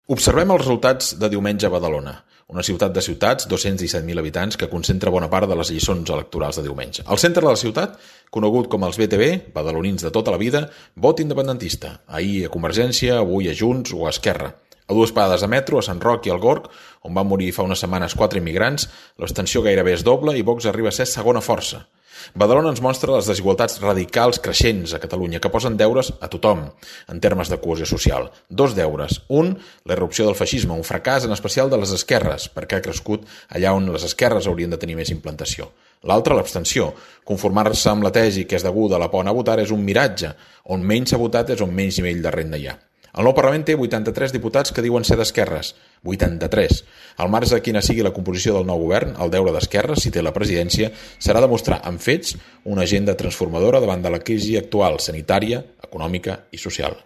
Observem els resultats de diumenge a Badalona, una ciutat de ciutats, 217.000 habitants, que concentra bona part de les lliçons electorals de diumenge. Al centre de la ciutat, conegut com els BTV, badalonins de tota la vida, vot independentista. Ahir a Convergència, avui a Junts o a Esquerra. A dues parades de metro, a Sant Roc i al Gorg, on van morir fa unes setmanes 4 immigrants, l'abstenció gairebé és doble i Vox arriba a ser segona força. Badalona ens mostra les desigualtats radicals creixents a Catalunya que posen deures a tothom en termes de cohesió social. 2 deures. Un, la irrupció del feixisme, un fracàs en especial de les esquerres, perquè ha crescut allà on les esquerres haurien de tenir més implantació. L'altre, l'abstenció. Conformar-se amb la tesi que és deguda a la por a votar és un miratge. On menys s'ha votat és on menys nivell de renda hi ha. El nou Parlament té 83 diputats que diuen ser d'esquerres. 83. Al marge de quina sigui la composició del nou govern, el deure d'Esquerra, si té la presidència, serà demostrar amb fets una agenda transformadora davant de la crisi actual, sanitària, econòmica i social.